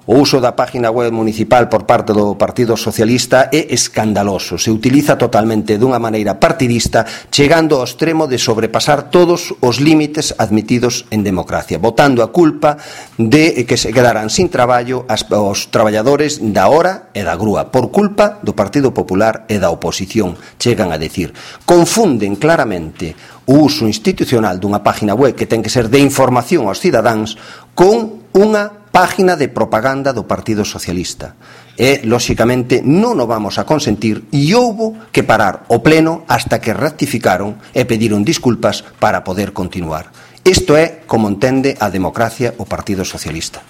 O uso da página web municipal por parte do Partido Socialista é escandaloso. Se utiliza totalmente dunha maneira partidista, chegando ao extremo de sobrepasar todos os límites admitidos en democracia, botando a culpa de que se quedaran sin traballo os traballadores da hora e da grúa, por culpa do Partido Popular e da oposición, chegan a decir. Confunden claramente o uso institucional dunha página web que ten que ser de información aos cidadáns con unha página de propaganda do Partido Socialista. E, lóxicamente, non o vamos a consentir e houbo que parar o pleno hasta que rectificaron e pediron disculpas para poder continuar. Isto é como entende a democracia o Partido Socialista.